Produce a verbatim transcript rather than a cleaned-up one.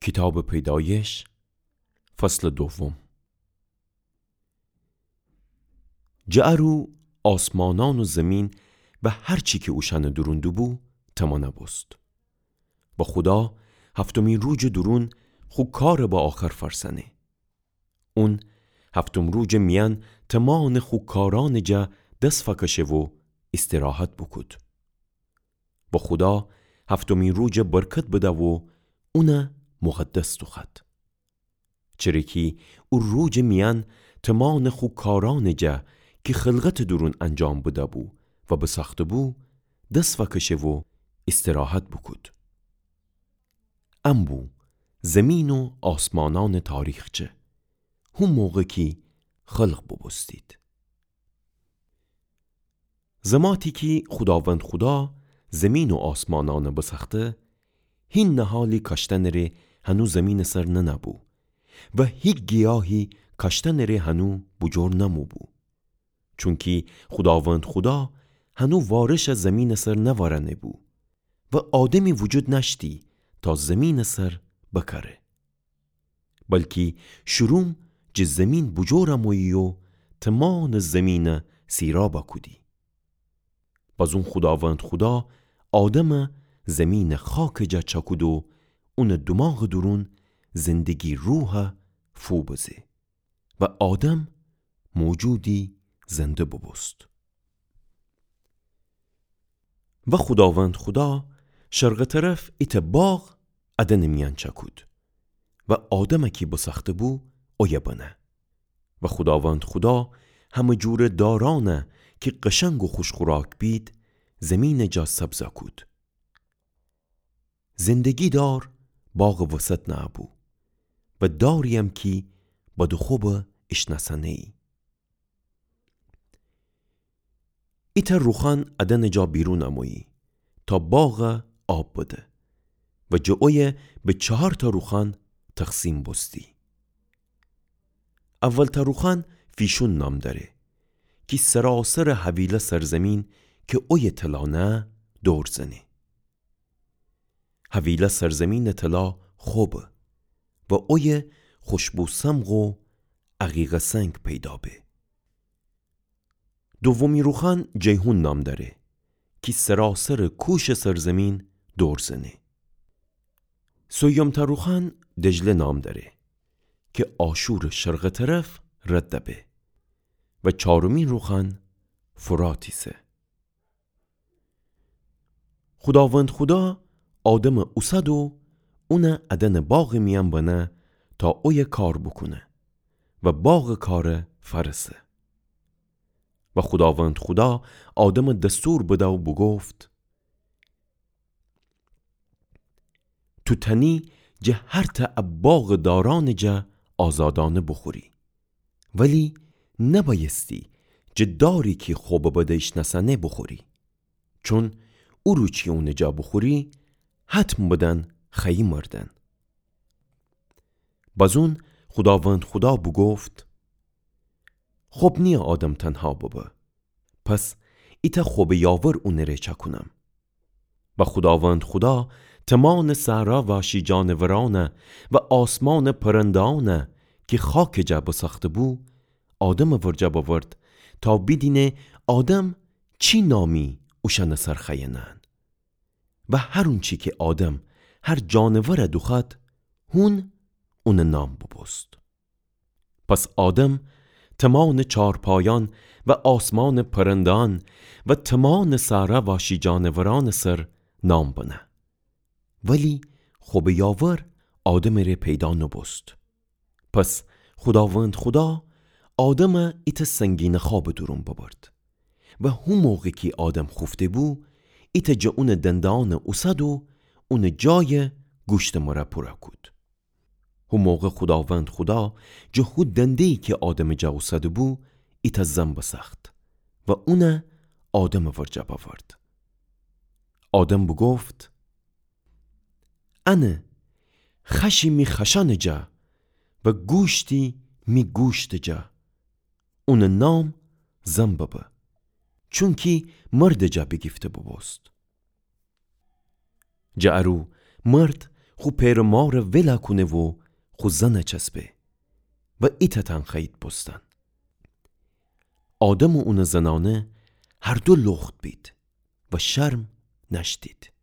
کیتابٚ پیدایش، فصلٚ دوم. جٚه ا رو آسمانأن و زمین و هر چی کی اوشأنٚ دورون دوبو، تمانه بوست. و خودا هفتمی روجٚ دورون خو کارَ به آخر فأرسأنه. اون هفتم روجٚ میأن تمانٚ خو کارأنٚ جا دس فأکشه و ایستراحت بوکود. و خودا هفتمی روجَ برکت بده و اونَ مقدس دوخوأد. چره کی او روجٚ میأن تمانٚ خو کارأنٚ جا کی خلقتٚ دورون انجام بده‌بو و بساخته‌بو، دس فأکشه و ایستراحت بوکود. ان بو زمین و آسمانأنٚ تاریخچه، هو موقع کی خلق بوبوستید. زماتی کی خوداوند خودا زمین و آسمانأنَ بسأخته، هی نهالی کاشتنٚ ره هنو زمینٚ سر ننه‌بو و هی گیاهی کاشتنٚ ره هنو بوجور نموبو. چونکی خوداوند خودا هنو وارشَ زمینٚ سر نورأنه‌بو و آدمی وجود نأشتی تا زمینٚ سر بکاره. بلکی شروم جٚه زمین بوجور امویی و تمانٚ زمینَ سیرابَ کودی. بازون خوداوند خودا آدمَ زمینٚ خاکٚ جا چأکود و اونٚ دوماغٚ دورون زندگی روحَ فو بزه و آدم موجودی زنده بوبوست. و خوداوند خودا شرقٚ طرف ایتأ باغ ادأنٚ میأن چأکود و آدمَ کی بسأخته‌بو اویه بنه. و خوداوند خودا همه جورٚ دارأنَ کی قشنگ و خوش‌خوراک بید، زمینٚ جا سبزَ کود. زندگی دار باغٚ وسط نه‌بو و دارییم کی بد و خوبَ ایشنأسأنه‌یی. ایتأ روخان ادأنٚ جا بیرون امویی تا باغَ آب بده و جٚه اویه به چهارتأ روخان تقسیم بوستی. اولتأ روخان فیشون نام دأره کی سراسرٚ هویله سرزمین کی اویه طلا نهه دور زنه. هویله سرزمینٚ طلا خوبه و اویه خوشبو سمغ و عقیقه سنگ پیدا به. دومی روخان جیحون نام دأره کی سراسرٚ کوشٚ سرزمین دور زنه. سیومتأ روخان دجله نام دأره کی آشورٚ شرقٚ طرف رد به و چارمی روخان فرات ایسه. خوداوند خودا آدمَ اوسد و اونَ ادأنٚ باغٚ میأن بنه تا اویه کار بوکونه و باغٚ کارَ فأرسه. و خوداوند خودا آدمَ دستور بده و بوگفت: تو تأنی جٚه هرتأ ا باغٚ دارأنٚ جا آزادأنه بوخوری، ولی نبأیستی جٚه داری کی خوبٚ بد ایشنأسأنه بوخوری، چون او روز کی اونٚ جا بوخوری، حتم بدن خوأیی مردن. بازون خوداوند خودا بوگفت: خوب نییه آدم تنها ببه، پس ایتأ خوبٚ یاور اونٚ ره چأکونم. و خوداوند خودا تومانٚ صحرا وأشی جانورأنَ و آسمانٚ پرنده‌أنَ کی خاکٚ جا بسأخته‌بو، آدمٚ ورجه بأورد تا بیدینه آدم چی نامی اوشأنٚ سر خوأیه نهن. و هر اونچی کی آدم هر جانورَ دوخوأد، هون اونٚ نام بوبوست. پس آدم تومانٚ چارپایأن و آسمانٚ پرنده‌أن و تومانٚ صحرا وأشی جانورأنٚ سر نام بنه. ولی خوبٚ یاور آدمٚ ره پیدا نوبوست. پس خوداوند خودا آدمَ ایتأ سنگینٚ خوابٚ دورون ببرد. و هو موقع کی آدم خوفته‌بو، ایتأ جٚه اونٚ دنده‌أنَ اوسد و اونٚ جایَ گوشتٚ مره پورَ کود. هو موقع خوداوند خودا جٚه هو دنده‌یی کی آدمٚ جا اوسده‌بو، ایتأ زن بسأخت و اونَ آدمٚ ورجه بأورد. آدم بوگفت: انه، خوأشی می خوأشأنٚ جا و گوشتی می گوشتٚ جا. اونٚ نام زن ببه، چونکی مردٚ جا بیگیفته بوبوست. جٚه ارو مرد خو پئر و مارَ ولَ کونه و خو زنَ چسبه و ایتأ تن خوأیید بوستن. آدم و اونٚ زنانه هر دو لخت بید و شرم نأشتید.